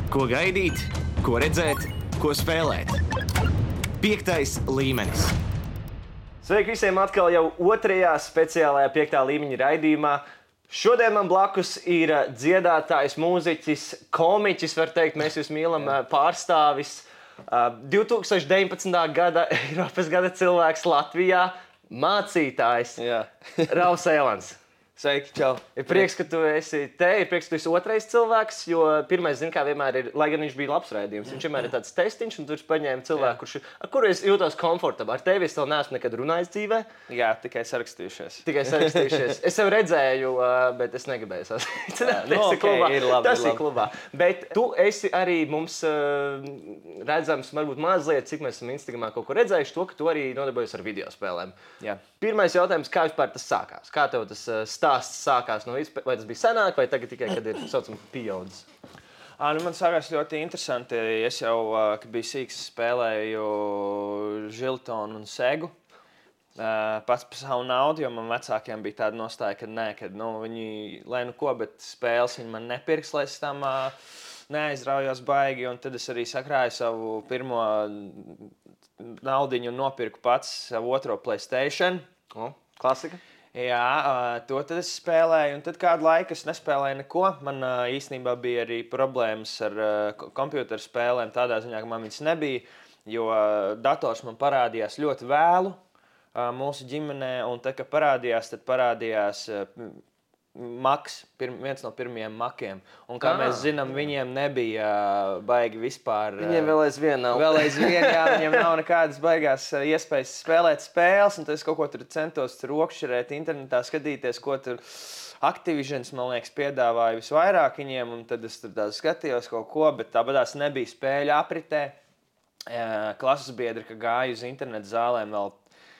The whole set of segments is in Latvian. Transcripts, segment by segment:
Ko gaidīt, ko redzēt, ko spēlēt. 5. līmenis. Sveiki visiem atkal jau otrajā speciālajā 5. līmeņa raidījumā. Šodien man blakus ir dziedātājs, mūziķis, komiķis, var teikt, mēs jūs mīlam, pārstāvis. 2019. gada Eiropas gada cilvēks Latvijā, mācītājs Ralfs Elans. Sveiki, čau. Ir prieks, ka tu esi te, ir prieks, ka tu esi otrais cilvēks, jo pirmais, zin kā vienmēr ir, lai gan viņš bija labs raidījums, viņš vienmēr ir tāds testiņš, un tu paņēmi cilvēku, ar kuru es jūtos komfortabli. Ar tevi es vēl neesmu nekad runājis dzīvē. Jā, tikai sarakstījušies. Es tev redzēju, bet es negribēju sasīcināt. Tas ir klubā. Bet tu esi arī mums redzams, varbūt mazliet, cik mēs esam Instagramā kaut ko redzējuši, to, ka tu arī nodarbojies ar video spēlēm. Jā. Pirmais jautājums, kā vispār tas sākās? Kā tev tas stāsts sākās no vispār? Vai tas bija senāk, vai tagad tikai, kad ir saucam pieaudzis? Man sākās ļoti interesanti. Es jau, kad biju sīks, spēlēju Žiltonu un Segu. Pats par savu naudu, jo man vecākiem bija tāda nostāja, ka nē, kad viņi, lai nu ko, bet spēles viņi man nepirks, lai es tam neaizraujos baigi. Un tad es arī sakrāju savu pirmo naudiņu un nopirku pats savu otro PlayStation. Klasika. Jā, to tad es spēlēju, un tad kādu laiku es nespēlēju neko. Man īstenībā bija arī problēmas ar kompjuteru spēlēm, tādā ziņā, ka man viņas nebija, jo dators man parādījās ļoti vēlu mūsu ģimenē, un tad, kad parādījās, tad parādījās Maks, viens no pirmajiem Makiem. Un kā mēs zinām, viņiem nebija baigi vispār. Viņiem vēl aizvien nav. Jā, viņiem nav nekādas baigās iespējas spēlēt spēles, un tad es kaut ko tur centos rokšķirēt internetā, skatīties, ko tur Activisions, man liekas, piedāvāja visvairāk viņiem, un tad es tur skatījos kaut ko, bet tāpatās nebija spēļu apritē. Klases biedri, ka gāja uz internetu zālēm vēl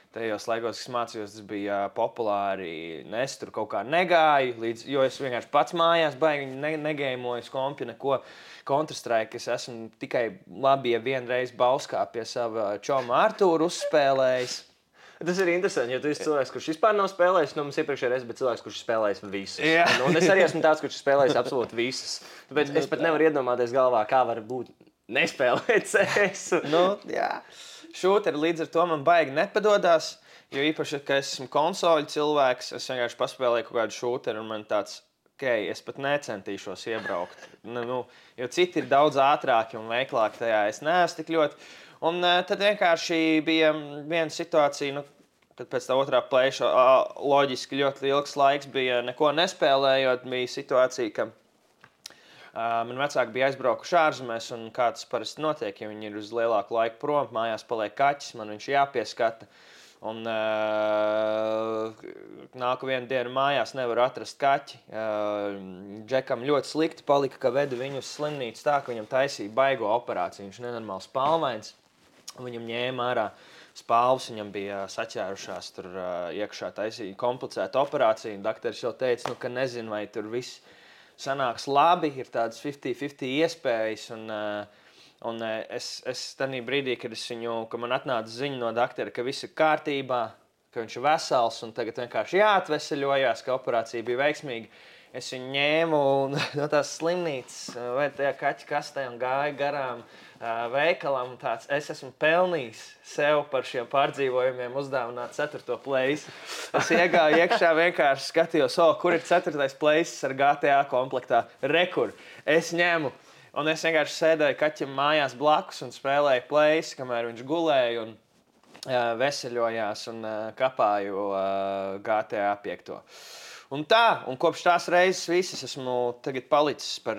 tajos laikos, kas mācījos, tas bija populāri. Es tur kaut kā negāju, jo es vienkārši pats mājās baigi negēmoju kompi, neko Counter-Strike. Es esmu tikai labi, ja vienreiz Bauskā pie sava čoma Artūru uzspēlējis. Tas ir interesanti, jo tu esi cilvēks, kurš vispār nav spēlējis. Mums iepriekšējā reizē bija cilvēks, kurš spēlējis visus. Un es arī esmu tāds, kurš spēlējis absolūti visus. Tāpēc es pat nevaru iedomāties galvā, kā var būt nespēlēt CS. Šūteri līdz ar to man baigi nepadodās, jo īpaši, ka es esmu konsoļu cilvēks, es vienkārši paspēlēju kaut kādu šūteri, un man tāds, es pat necentīšos iebraukt. Jo citi ir daudz ātrāki un veiklāki tajā, es neesmu tik ļoti. Un tad vienkārši bija viena situācija, kad pēc tā otrā plēša loģiski ļoti ilgs laiks bija neko nespēlējot, bija situācija, ka man vecāki bija aizbraukuši ārzemēs, un kā tas parasti notiek, ja viņi ir uz lielāku laiku prom, mājās paliek kaķis, man viņš jāpieskata. Un nāku vienu dienu mājās, nevaru atrast kaķi. Džekam ļoti slikti palika, ka veda viņu uz slimnīcu tā, ka viņam taisīja baigo operāciju. Viņš nenormāli spalvains, viņam ņēma ārā spalvas, viņam bija saķērušās tur iekšā taisīja komplicēta operācija. Dakteris jau teica, ka nezinu, vai tur viss sanāks labi, ir tādas 50-50 iespējas, un es tādā brīdī, kad man atnāca ziņa no doktora, ka viss ir kārtībā, ka viņš ir vesels, un tagad vienkārši jāatveseļojās, ka operācija bija veiksmīga, es viņu ņēmu no tās slimnīcas, vai tajā kaķa kastē un gāju garām veikalam, tāds, es esmu pelnījis sev par šiem pārdzīvojumiem uzdāvināt 4. place. Es iegāju iekšā, vienkārši skatījos, kur ir 4. place ar GTA komplektā. Rekur, es ņemu. Un es vienkārši sēdēju kaķim mājās blakus un spēlēju place, kamēr viņš gulēja un veseļojās un kapāju GTA 5. Un kopš tās reizes visas esmu tagad palicis par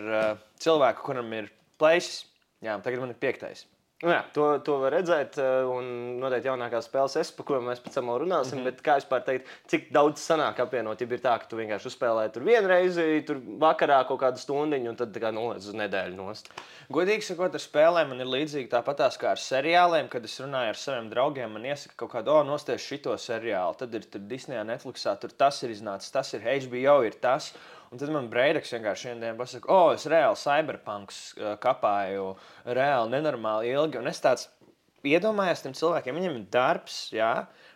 cilvēku, kuram ir places. Jā, tagad man ir 5. Jā, to var redzēt, un noteikti jaunākās spēles par kurām mēs pēc tam vēl runāsim, bet kā vispār teikt, cik daudz sanāk apvienot, ja ir tā, ka tu vienkārši uzspēlēji tur vienreizi, tur vakarā kaut kādu stundiņu, un tad tā kā noliec uz nedēļu nost. Godīgi sakot, ar spēlēm man ir līdzīgi tāpatās kā ar seriāliem, kad es runāju ar saviem draugiem, man iesaka kaut kādu, nosties šito seriālu, tad ir tur Disneyā, Netflixā, tur tas ir iznācis, tas ir HBO, ir tas. Un tad man Breideks vienkārši vienu dienu pasaka, es reāli Cyberpunks kapāju, reāli nenormāli ilgi. Un es tāds iedomājos tiem cilvēkiem, viņiem ir darbs, jā,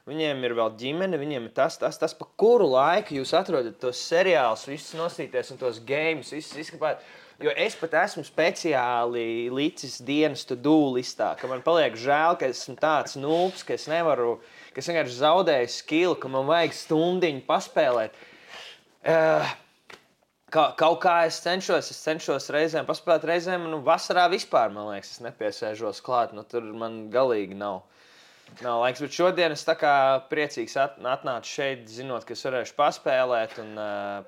viņiem ir vēl ģimene, viņiem ir tas, pa kuru laiku jūs atrodat tos seriālus, visus nosīties un tos games, visus izskapāt. Jo es pat esmu speciāli licis dienas to-do listā, ka man paliek žēl, ka esmu tāds nūps, ka es nevaru, ka es vienkārši zaudēju skilu, ka man vajag stundiņu paspēlēt. Kaut kā es cenšos reizēm paspēlēt, reizēm, vasarā vispār, man liekas, es nepiesēžos klāt, tur man galīgi nav laiks. Bet šodien es tā kā priecīgs atnācu šeit, zinot, ka es varēšu paspēlēt, un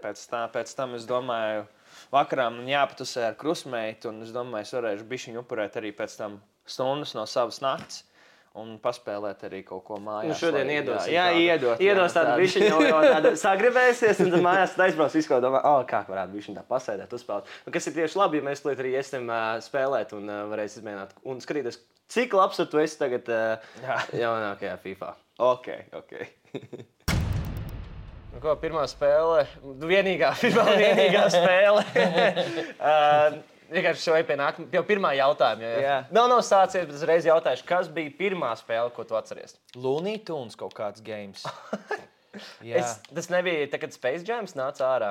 pēc tam es domāju, vakarā man jāpatusē ar krusmeitu, un es domāju, es varēšu bišķiņu upurēt arī pēc tam stundas no savas nakts. Un paspēlēt arī kaut ko mājās. Šodien iedosim. Iedos tādu bišķiņu, jo tādu sagribēsies, un tad mājās aizbrauc visu, ko domā, kā varētu bišķiņu tā pasēdēt, uzspēlēt. Un kas ir tieši labi, ja mēs tulīt arī iesim spēlēt un varēs izmēģināt un skatīties, cik labs tu esi tagad jaunākajā FIFA. Ok. Ko, pirmā spēle, vienīgā spēle. Vienkārši šai pienāk pie pirmā jautājuma. Jā. Nav sācies, bet uzreiz jautājuši, kas bija pirmā spēle, ko tu atceries? Looney Tunes kaut kāds games. Tas nebija, kad Space Jams nāca ārā?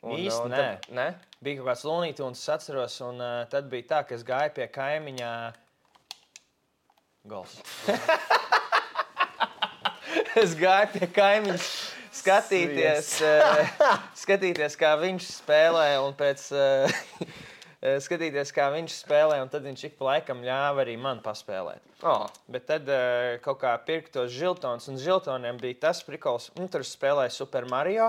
Īsti nē. Bija kaut kāds Looney Tunes, es atceros, un tad bija tā, ka es gāju pie kaimiņā Gols. Es gāju pie kaimiņa skatīties, kā viņš spēlē, un pēc... skatīties, kā viņš spēlē, un tad viņš ik pa laikam ļāva arī man paspēlēt. Bet tad kaut kā pirka tos žiltons, un žiltoniem bija tas prikols, tur spēlēju Super Mario,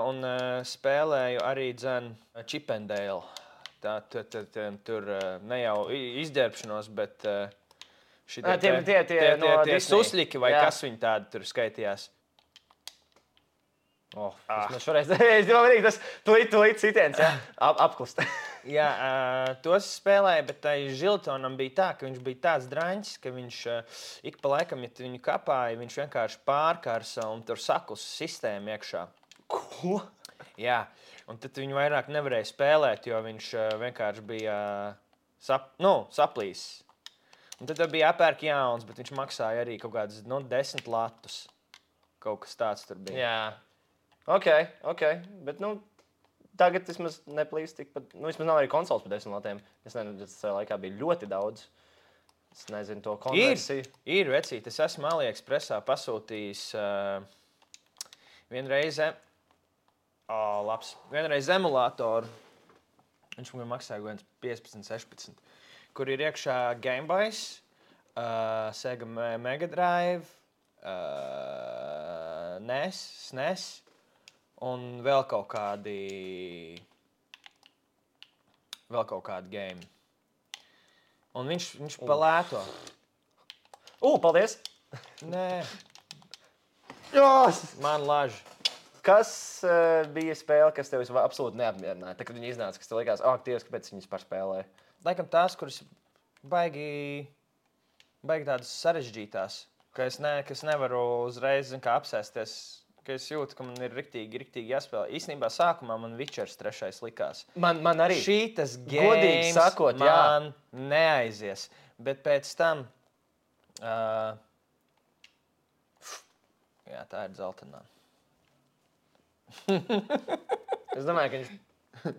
un spēlēju arī Chip and Dale. Tur ne jau izģērbšanos, bet tie susļiki, vai kas viņi tādi tur skaitījās. Tas šoreiz, tas tulīt citiens, apklust. Jā, tos spēlēja, bet tai žiltonam bija tā, ka viņš bija tāds draņķis, ka viņš ik pa laikam, ja viņu kapāja, viņš vienkārši pārkarsa un tur saklus sistēmu iekšā. Ko? Jā, un tad viņu vairāk nevarēja spēlēt, jo viņš vienkārši bija saplīsis. Un tad bija apērk jauns, bet viņš maksāja arī kaut kādas 10 latus. Kaut kas tāds tur bija. Jā. Ok, bet tagad vismaz neplīst tikpat, vismaz nav arī konsoles par 10 latiem. Es nezinu, tas laikā bija ļoti daudz. Es nezinu to konversiju. Ir vecīt, es esmu AliExpressā pasūtījis vienreiz emulātoru. Viņš man maksāja 15-16, kur ir iekšā Game Boy, Sega Mega Drive, NES, un vēl kaut kādi game. Un viņš palēto. Paldies! Nē. Jās! Man laži. Kas bija spēle, kas tev absolūti neapmierināja? Tad, kad viņi iznāca, kas tev likās, Dievs, kāpēc viņas pārspēlēja? Laikam tās, kuras baigi tādas sarežģītās, ka es nevaru uzreiz apsēsties, ka es jūtu, ka man ir riktīgi jāspēlē. Īstenībā sākumā man Witchers 3. likās. Man arī. Šītas games sakot, man neaizies. Bet pēc tam... jā, tā ir dzeltenā. Es domāju, ka viņš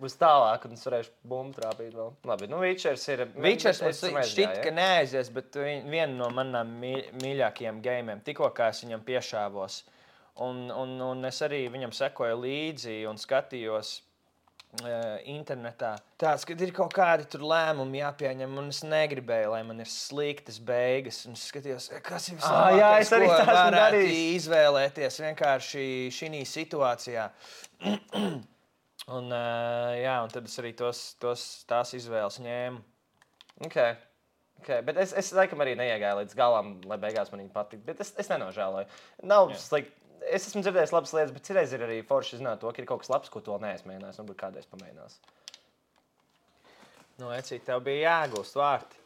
būs tālāk, un es varēšu bumbu trāpīt vēl. Labi, Witchers ir... Witchers man šķiet, ka neaizies, bet viena no manām mīļākajiem gamiem. Tikko kā es viņam piešāvos. Un es arī viņam sekoju līdzi un skatījos internetā. Tāds, kad ir kaut kādi tur lēmumi jāpieņem, un es negribēju, lai man ir sliktas beigas. Un es skatījos, kas ir vislabākais, ko varētu izvēlēties vienkārši šī situācijā. un tad es arī tās izvēles ņēmu. Okay, bet es laikam arī neiegāju līdz galam, lai beigās man viņa patīk. Bet es nenožēloju. Nav slikti. Es esmu dzirdējis labas lietas, bet citreiz ir arī forši zināt to, ka ir kaut kas labs, ko tu vēl neesi mēģinājis, un varbūt kādreiz pamēģinās. Ecīt, tev bija jāgūst vārti.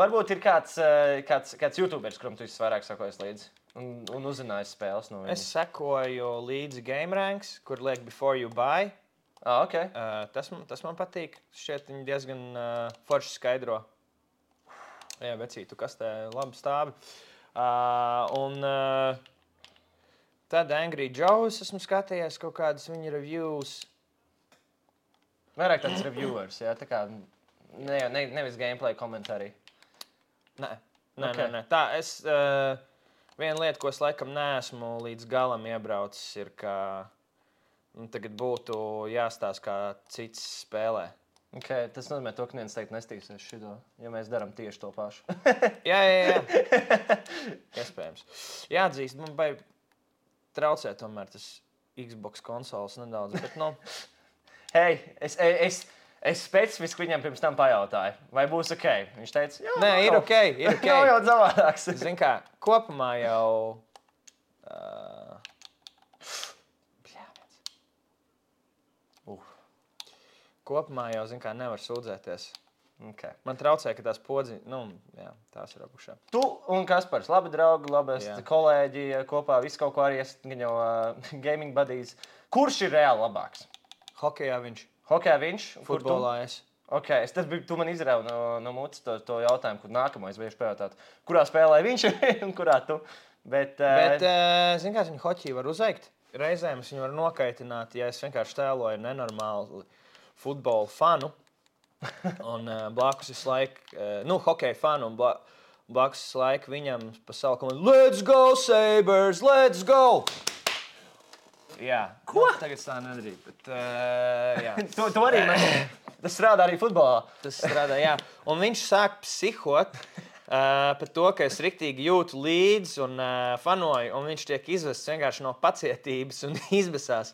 Varbūt ir kāds YouTubers, kuram tu visvairāk sakojies līdzi un uzzinājis spēles no viņa. Es sekoju līdzi GameRanks, kur liek Before You Buy. Okay. Tas man patīk. Šķiet, viņi diezgan forši skaidro. Jā, vecīt, tu kas te labi stāvi. Tad Angry Joe's esmu skatījies kaut kādas viņa reviews. Vairāk tāds reviewers, jā, tā kā nevis gameplay komentāri. Nē. Tā, viena lieta, ko es laikam neesmu līdz galam iebraucis, ir, ka tagad būtu jāstāsta, kā cits spēlē. Okay, tas nozīmē, to, ka neviens teikt nestīsies šito, ja mēs darām tieši to pašu. jā. Iespējams. Jāatzīst, man vai traucē tomēr tas Xbox konsoles nedaudz, bet Hei, es specifiski viņam pirms tam pajautāju, vai būs ok. Viņš teica, jā, nē, ir ok. Nav jau savādāks. Zini kā, kopumā jau... Kopumā jau, zin kā, nevar sūdzēties. Okay. Man traucē, ka tās podziņas, tās ir apušā. Tu un Kaspars, labi draugi, labi kolēģi, kopā visu kaut ko arī esat jau gaming buddies. Kurš ir reāli labāks? Hokejā viņš. Hokejā viņš? Futbolā es. Ok, tu man izrauj no mutes to jautājumu, kur nākamo es bieži pajautāt. Kurā spēlē viņš un kurā tu? Bet zin kā, viņu hoķiju var uzveikt. Reizēm es viņu varu nokaitināt, ja es vienkārši tēloju nenormāli futbola fanu, un blakus visu laiku, hokeja fanu, un blakus visu laiku viņam pa savu komandu Let's go, Sabres, let's go! Jā, ko? Tagad tā nedarīja, bet jā. To arī tas strādā arī futbolā. Tas strādā, jā. Un viņš sāk psihot par to, ka es riktīgi jūtu līdzi un fanoju, un viņš tiek izvests vienkārši no pacietības un izbesās.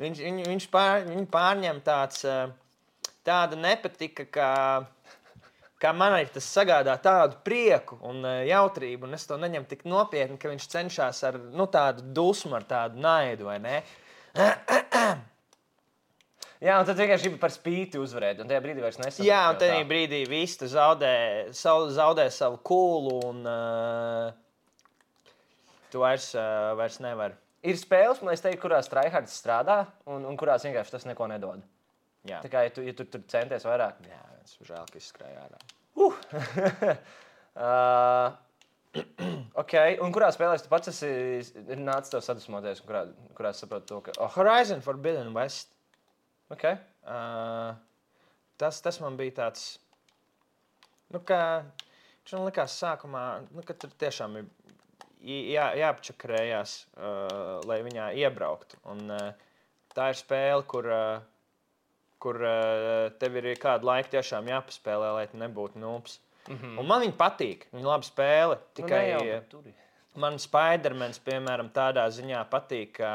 Viņš pārņem tāda nepatika, kā man arī tas sagādā tādu prieku un jautrību, un es to neņemu tik nopietni, ka viņš cenšas ar tādu dusmu, ar tādu naidu, vai ne? Jā, un tad vienkārši gribi par spīti uzvarēt, un tajā brīdī vairs nesaprot. Jā, un tajā brīdī viss zaudē savu kūlu, un tu vairs nevari. Ir spēles, man liekas, kurās tryhards strādā, un kurās vienkārši tas neko nedod. Jā. Tā kā, ja tu tur centies vairāk. Jā, viens žēl, ka izskrēja ārā. Ok, un kurā spēlēs tu pats esi nācis tev sadusmoties, un kurā saproti to, ka... Horizon Forbidden West. Ok. Tas man bija tāds... ka viņš man likās sākumā, ka tur tiešām ir jāapčakarējās, lai viņā iebrauktu. Un tā ir spēle, kur tev ir kādu laiku tiešām jāpaspēlē, lai tu nebūtu nūps. Un man viņa patīk, viņa labi spēle. Tikai man Spider-Mans, piemēram, tādā ziņā patīk, ka...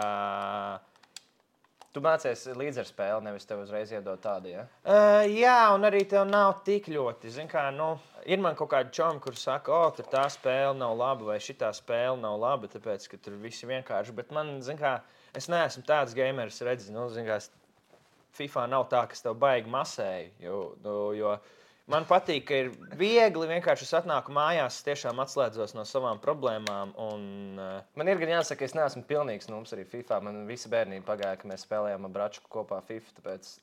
Tu mācies līdz ar spēli, nevis tev uzreiz iedod tādu, ja? Jā, un arī tev nav tik ļoti. Zin kā, ir man kaut kādi čomi, kur saka, tur tā spēle nav laba, vai šitā spēle nav laba, tāpēc, ka tur visi vienkārši. Bet man, zin kā, es neesmu tāds gameris redzi, zin kā, FIFA nav tā, kas tev baigi masēji, jo man patīk, ka ir viegli, vienkārši es atnāku mājās, tiešām atslēdzos no savām problēmām. Man ir gan jāsaka, ka es neesmu pilnīgs nums arī FIFA. Man visa bērnība pagāja, ka mēs spēlējām ar Bračku kopā FIFA, tāpēc...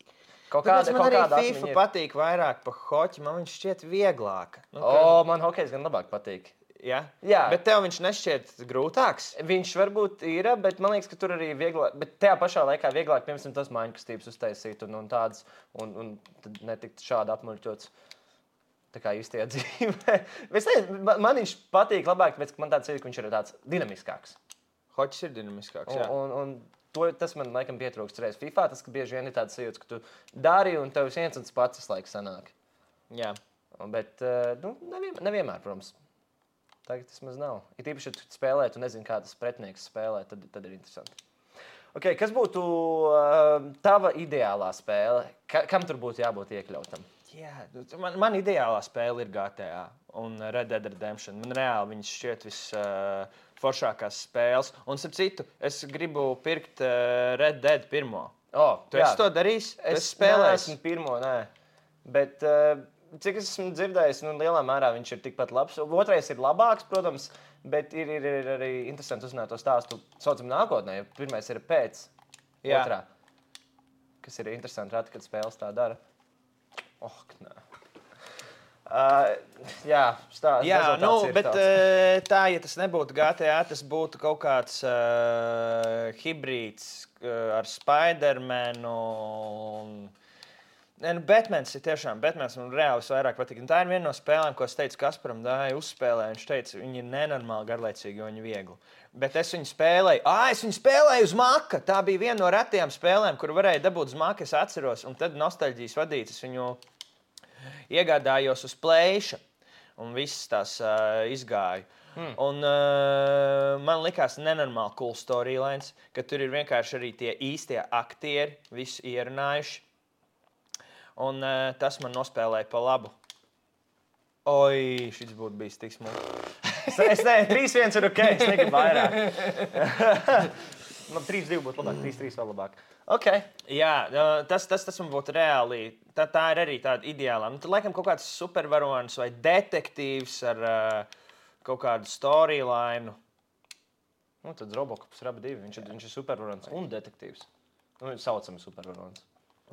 Man arī FIFA patīk vairāk pa hoķi, man viņš šķiet vieglāk. Man hokejs gan labāk patīk. Ja? Jā. Bet tev viņš nešķiet grūtāks? Viņš varbūt ir, bet man liekas, ka tur arī vieglāk, bet tajā pašā laikā vieglāk, piemēram, tas mājiņkastības uztaisīt un tādas, un tad netikt šādi apmuļķots. Tā kā īstajā dzīvē. Man viņš patīk labāk, tāpēc, ka man tāds ir, ka viņš ir tāds dinamiskāks. Hoķis ir dinamiskāks, jā. Un tas man laikam pietrūkst reiz FIFA, tas, ka bieži vien ir tāds sajūts, ka tu dari un tev viens un tas pats laiks sanāk. Jā. Bet, nevienmēr, protams. Tagad tas maz nav. Ir tīpaši, ja tu spēlē, tu nezini, kā tas pretinieks spēlē, tad ir interesanti. Ok, kas būtu tava ideālā spēle? Kam tur būtu jābūt iekļautam? Jā, man ideālā spēle ir GTA un Red Dead Redemption. Man reāli viņas šķiet visforšākās spēles. Un, starp citu, es gribu pirkt Red Dead pirmo. Tu esi to darījis? Es neesmu pirmo, nē. Bet, cik es esmu dzirdējis, lielā mērā viņš ir tikpat labs. Otrais ir labāks, protams, bet ir arī interesanti uzzināt to stāstu saucam nākotnē, jo pirmais ir pēc otrā. Kas ir interesanti rati, kad spēles tā dara. Nē. Jā, bet tā, ja tas nebūtu GTA, tas būtu kaut kāds hibrīds ar Spider-Manu un Batmans ir tiešām, Batmans man reāli vairāk patīk. Un tā ir viena no spēlēm, ko es teicu Kasparam, dāja uzspēlē. Viņš teica, viņi ir nenormāli garlaicīgi, jo viņi viegli. Bet es viņu spēlēju uz maka. Tā bija viena no retajām spēlēm, kur varēja dabūt uz maka, es atceros. Un tad nostalģijas vadītas viņu iegādājos uz plēša. Un visas tās izgāju. Un man likās nenormāli cool storylines, ka tur ir vienkārši arī tie īstie aktieri, visi ierunājuši. Un tas man nospēlēja pa labu. Oi, šis būtu bijis tik smuki. Es nezinu, 3-1 ir ok, es negribu vairāk. Man 3-2 būtu labāk, 3-3 vēl labāk. Ok. Jā, tas man būtu reāli. Tā ir arī tāda ideāla. Tad laikam kaut kāds supervaronis vai detektīvs ar kaut kādu storyline. Tad Robocops Raba 2, viņš ir supervaronis un detektīvs. Saucami supervaronis.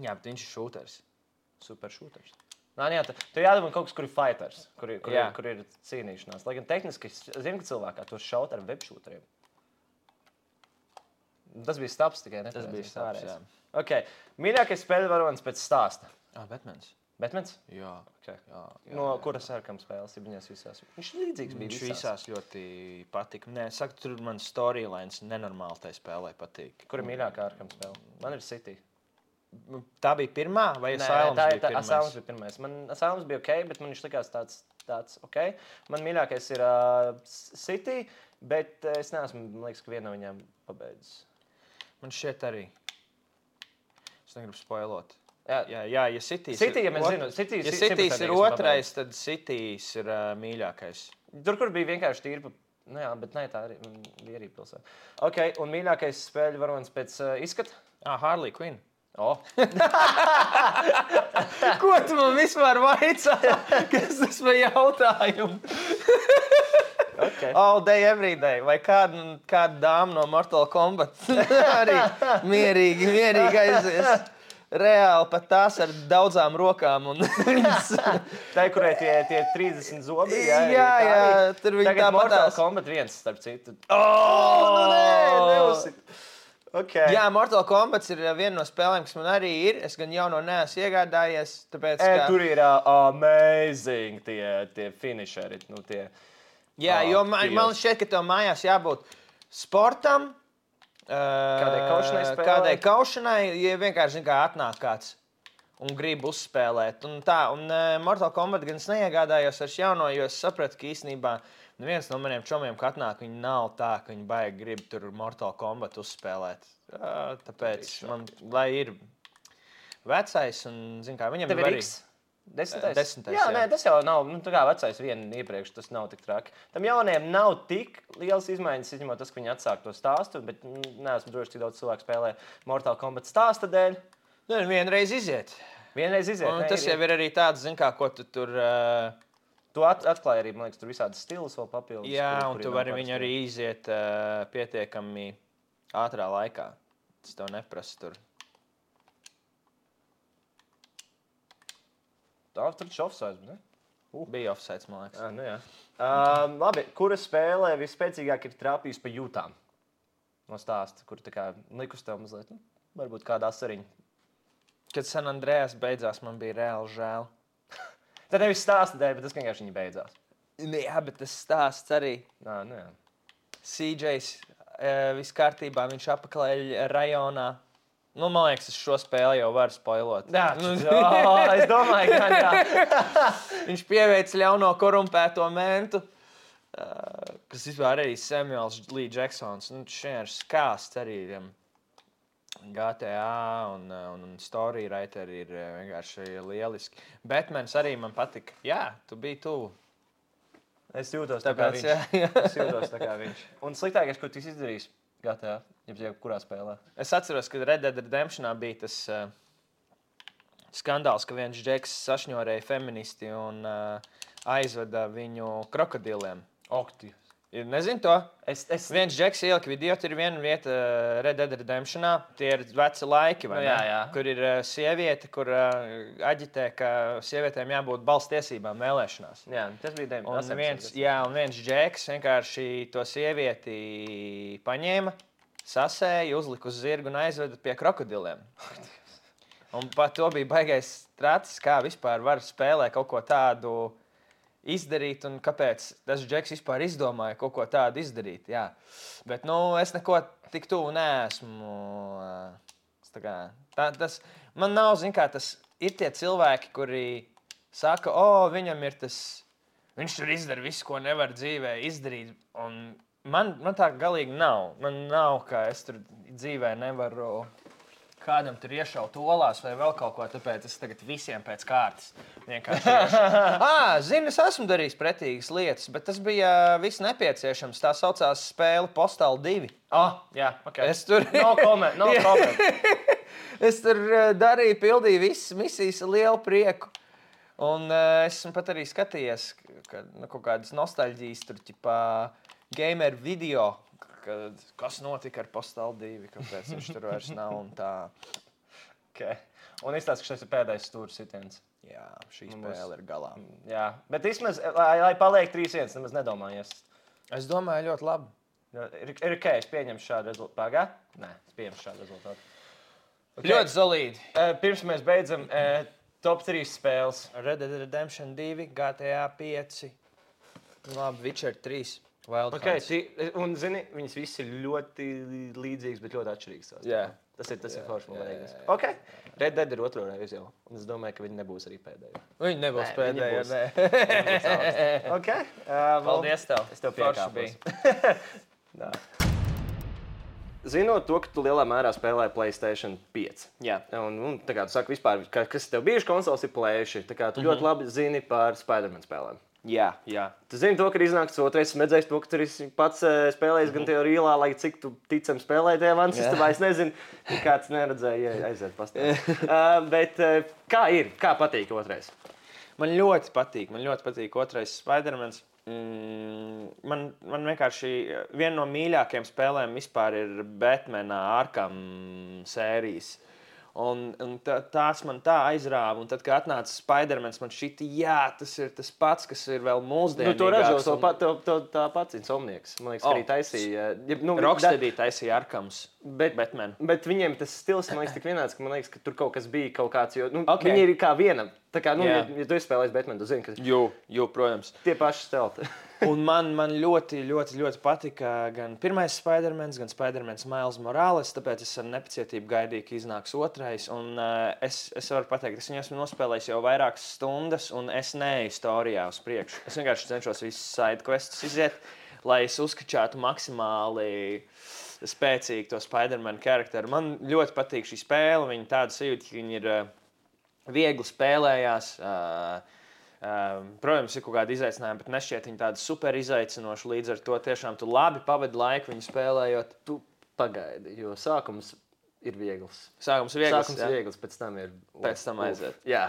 Jā, bet viņš ir šūters. Super šūters. Jā, tu jādomā kaut kas, kur ir fighters, kur ir cīnīšanās. Lai gan tehniski, es zinu, ka cilvēkā tos šaut ar webšūteriem. Tas bija Staps tikai, ne? Tas bija Staps, jā. Ok, mīļākais spēļu varonis pēc stāsta. Batmans. Batmans? Jā. Okay. No kuras Arkam spēles ir viņās visās? Viņš līdzīgs bija visās. Viņš visās ļoti patika. Nē, saku, tur man storylines nenormāli tai spēlē patīk. Kur ir mīļākā Arkam spēle? Man ir City. Tā bija pirmā, vai Asylums bija pirmais? Asylums bija pirmais. Man Asylums bija ok, bet man viņš likās tāds ok. Man mīļākais ir City, bet es neesmu, man liekas, ka viena no viņām pabeidzis. Man šķiet arī. Es negribu spoilot. Jā, ja Citys ja mēs zinām, ja Citys ir otrais, tad Citys ir mīļākais. Tur, kur bija vienkārši tīri, nu jā, bet ne, tā arī bija arī pilsēta. Ok, un mīļākais spēļu varonis pēc izskata? Harley Quinn. Ko tu man vispār vaicā? Kas tas par jautājumu? Okay. All day, every day. Vai kāda dāma no Mortal Kombat arī mierīgi aizies. Reāli pat tās ar daudzām rokām. Tā ir, kurai tie 30 zobi. Jā, tur viņi tā Mortal Kombat 1, starp citu. Neuzsit. Okay. Jā, Mortal Kombat ir viena no spēlēm, kas man arī ir. Es gan jauno neesmu iegādājies, tāpēc, ka... Tur ir amazing tie finisheri. Jā, jo man šķiet, ka tev mājās jābūt sportam, kādai kaušanai, ja vienkārši kā atnāk kāds un grib uzspēlēt. Un Mortal Kombat gan es neiegādājos ar jauno, jo es sapratu, ka īstenībā viens no maniem čomiem, kad atnāk, viņi nav tā, ka viņi baigi grib tur Mortal Kombat uzspēlēt. Tāpēc man, lai ir vecais un, zin kā, viņam tev ir arī... 10. Jā, nē, tas jau nav, tā kā vecais vienu iepriekš, tas nav tik traki. Tam jauniem nav tik liels izmaiņas, izņemot tas, ka viņi atsāk to stāstu, bet neesmu droši, cik daudz cilvēku spēlē Mortal Kombat stāsta dēļ. Vienreiz iziet. Un tas jau ir arī tāds, zin kā, ko tu tur... Tu atklāji arī, man liekas, tur visādas stilus vēl papildus. Jā, un tu vari viņu arī iziet pietiekami ātrā laikā. Tas tev neprasa tur. Tā tur taču offsides, ne? Bija offsides, man liekas. Nu jā. Labi, kura spēlē vispēcīgāk ir trāpījis pa jūtām? No stāsta, kur tā kā likus tev mazliet, varbūt kāda asariņa. Kad San Andreas beidzās, man bija reāli žēl. Tad nevis stāsta dēļ, bet tas vienkārši viņa beidzās. Jā, bet tas stāsts arī. Nu jā. CJs viss kārtībā, viņš apakaļ rajonā. Man liekas, es šo spēli jau varu spoilot. Jā, es domāju, ka jā. Viņš pieveic ļauno korumpēto mentu, kas vispār arī Samuels Lee Jacksons. Šeit ir skāsts arī GTA un Storywriter ir vienkārši lieliski. Batmans arī man patika. Jā, tu biji tuvu. Es jūtos tā kā viņš. Un sliktākais, ko tu izdarījis GTA, ja kurā spēlē? Es atceros, ka Red Dead Redemptionā bija tas skandāls, ka viens džeks sašņorēja feministi un aizveda viņu krokodiliem. Okti. Nezinu to. Viens džeks ielika video, tur ir viena vieta Red Dead Redemptionā. Tie ir veci laiki, vai ne? Jā. Kur ir sieviete, kur aģitē, ka sievietēm jābūt balss tiesībām vēlēšanās. Jā, tas bija 9. Un viens džeks vienkārši to sievieti paņēma, sasēja, uzlika uz zirgu un aizveda pie krokodiliem. Un pat to bija baigais tracis, kā vispār var spēlēt kaut ko tādu izdarīt, un kāpēc tas Džeks vispār izdomāja kaut ko tādu izdarīt. Jā. Bet es neko tik tuvu neesmu. Man nav, tas ir tie cilvēki, kuri saka, viņam ir tas, viņš tur izdara visu, ko nevar dzīvē izdarīt. Un man tā galīgi nav. Man nav, ka es tur dzīvē nevaru kādam tur iešaut olās vai vēl kaut ko, tāpēc es tagad visiem pēc kārtas vienkārši zinu, es esmu darījis pretīgas lietas, bet tas bija viss nepieciešams. Tā saucās spēle Postal 2. Jā, okay. Es tur... No comment. Es tur pildīju visas misijas ar lielu prieku. Un esmu pat arī skatījies kaut kādas nostalģijas tur, gamer video, kas notika ar Postal 2, kāpēc viņš tur vairs nav un tā. Okay. Un izstāst, ka šis ir pēdējais stūra sitiens. Jā, šī spēle ir galā. Jā, bet vismaz, lai paliek 3-1, nemaz nedomājies. Es domāju ļoti labi. Ir ok, es pieņemšu šādu rezultātu. Pagā? Nē, es pieņemšu šādu rezultātu. Okay. Ļoti solīdi. Pirms mēs beidzam top 3 spēles. Red Dead Redemption 2, GTA 5, labi, Witcher 3. Okay, un, zini, viņas visi ir ļoti līdzīgas, bet ļoti atšķirīgas. Jā. Tas ir forši, man liekas. Okay. Red Dead ir otro reizi jau, un es domāju, ka viņi nebūs arī pēdējo. Viņi nebūs pēdējo, nē. Okay. Paldies tev. Es tev piekāpos. Zinot to, ka tu lielā mērā spēlēji PlayStation 5. Jā. Un tā kā tu saki vispār, kas tev bijuši konsoles ir plēši, tā kā tu ļoti labi zini par Spider-Man spēlēm. Jā. Tu zini to, ka ir iznāks otrais, redzējis to, ka tur esi pats spēlējis gan tev rīlā, lai cik tu ticam spēlēji tajā vansistabā, es nezinu, kāds neredzēja aiziet pastāstīt. Bet kā ir? Kā patīk otrais? Man ļoti patīk otrais Spider-Mans. Man vienkārši viena no mīļākajām spēlēm vispār ir Batmanā Arkham sērijas. Un tās man tā aizrāva, un tad, kad atnāca Spider-Mans, man šķita, tas ir tas pats, kas ir vēl mūsdienīgāks. To ražo tā pats Insomnieks. Man liekas, arī taisīja. Rocksteady taisīja Arkhams, Batman. Bet viņiem tas stils, man liekas, tik vienāds, ka man liekas, ka tur kaut kas bija kaut kāds, jo viņi ir kā viena. Tā kā, ja tu esi spēlējis Batman, tu zini, ka... Jo, protams. Tie paši stelti. Un man ļoti patika gan pirmais Spider-Mans, gan Spider-Mans Miles Morales, tāpēc es ar nepacietību gaidīju, ka iznāks otrais. Un es varu pateikt, es viņu esmu nospēlējis jau vairākas stundas, un es neeju storijā uz priekšu. Es vienkārši cenšos visus side questus iziet, lai es uzkačātu maksimāli spēcīgi to Spider-Man karakteru. Man ļoti patīk šī spēle, viņa tāda sajūta, ka viņa ir viegli spēlējās. Protams, ir kaut kāda izaicinājuma, bet nešķiet viņa tāda super izaicinoša. Līdz ar to tiešām tu labi pavadi laiku viņu spēlējot. Tu pagaidi, jo sākums ir viegls. Sākums ir viegls, pēc tam ir... Pēc tam aiziet. Jā,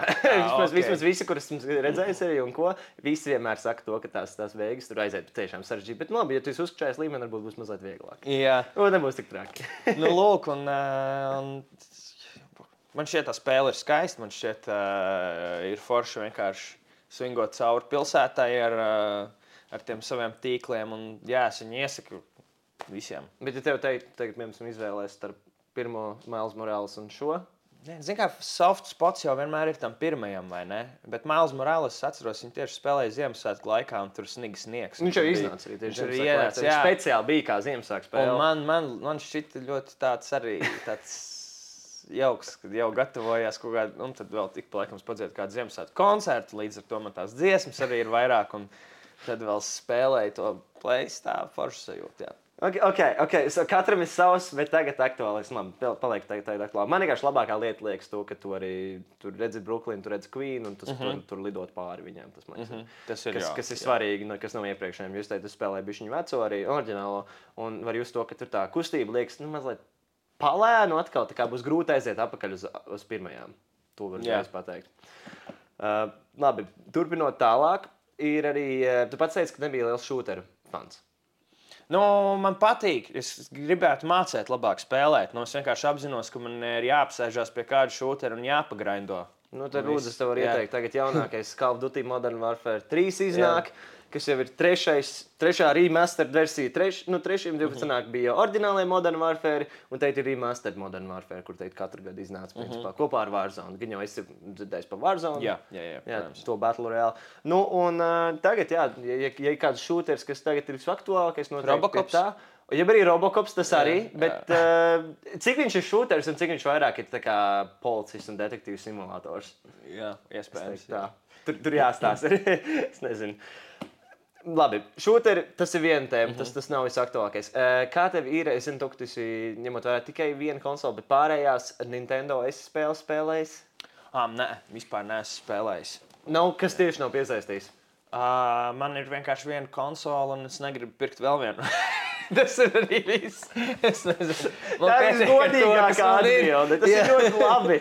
vismaz visi, kurus esmu redzējis arī un ko, visi vienmēr saka to, ka tās beigas tur aiziet tiešām sarežģīti. Bet labi, ja tu esi uzskatījis līmeni, varbūt būs mazliet vieglāk. Jā. Un nebūs tik traki. Lūk, un man šķiet, tā spēle ir skaista. Man šķiet, ir forši vienkārši svingot cauri pilsētai ar tiem saviem tīkliem. Un, es viņu iesaku visiem. Bet ja tev tagad izvēlēs starp pirmo Miles Morales un šo? Zini, kā soft spots jau vienmēr ir tam pirmajam, vai ne? Bet Miles Morales, es atceros, viņi tieši spēlēja Ziemassvētku laikā, un tur snigs sniegs. Viņš jau iznāca arī tieši Ziemassvētku laikā. Viņš speciāli bija kā Ziemassvētku spēle. Un man šķita ļoti tāds jauks, kad jau gatavojās kaut kādu, un tad vēl tik paliekams padziet kādu Ziemassvētku koncertu, līdz ar to man tās dziesmas arī ir vairāk, un tad vēl spēlēju to playstāvu foršu sajūtu, jā. Okay. So, katram ir savs, bet tagad aktuālais. Labi, paliek tagad aktuāli. Man vienkārši labākā lieta liekas to, ka tu arī tur redzi Brooklyn, tu redzi Queen, un tu tur lidot pāri viņiem. Tas ir kas ir svarīgi, kas nav iepriekšējiem. Jūs teicat, tu spēlēji bišķiņu veco arī oriģinālo, un var just to, ka tur tā kustība liekas, mazliet palēnu atkal, tā kā būs grūti aiziet atpakaļ uz pirmajām. To var uzreiz pateikt. Labi, turpinot tālāk, ir arī, tu pats teici, ka nebija liels šūteru fans. Man patīk. Es gribētu mācīt labāk spēlēt. Es vienkārši apzinos, ka man ir jāapsēžās pie kāda šūtera un jāpagraindo Nu, tad lūdzu, es tev varu ieteikt, tagad jaunākais Call of Duty Modern Warfare 3 iznāk, kas jau ir trešā remastered versija. Trešajam 12. bija oriģinālajā Modern Warfare, un teikt ir remastered Modern Warfare, kur teikt katru gadu iznāca principā kopā ar Warzone. Gan jau esi dzirdējis par Warzone. Jā, to Battle Royale. Nu, un tagad, ja ir kāds shooters, kas tagad ir visaktuālākais, noteikti pie tā. Ja arī Robocops, tas arī, bet cik viņš ir shooters un cik viņš vairāk ir tā kā policists un detektīvs simulators? Jā, iespējams. Tur jāstāsta. Es nezinu. Labi, shooteri, tas ir viena tēma, tas nav visaktuālākais. Kā tev ir, es zinu, tu esi ņemot vērā tikai vienu konsoli, bet pārējās Nintendo esi spēlējis? Nē, vispār neesmu spēlējis. Nav, kas tieši nav piesaistījis? Man ir vienkārši viena konsola un es negribu pirkt vēl vienu. Tas ir arī viss. Es nezinu. Tā ir godīgākā atbilde. Tas ir ļoti labi.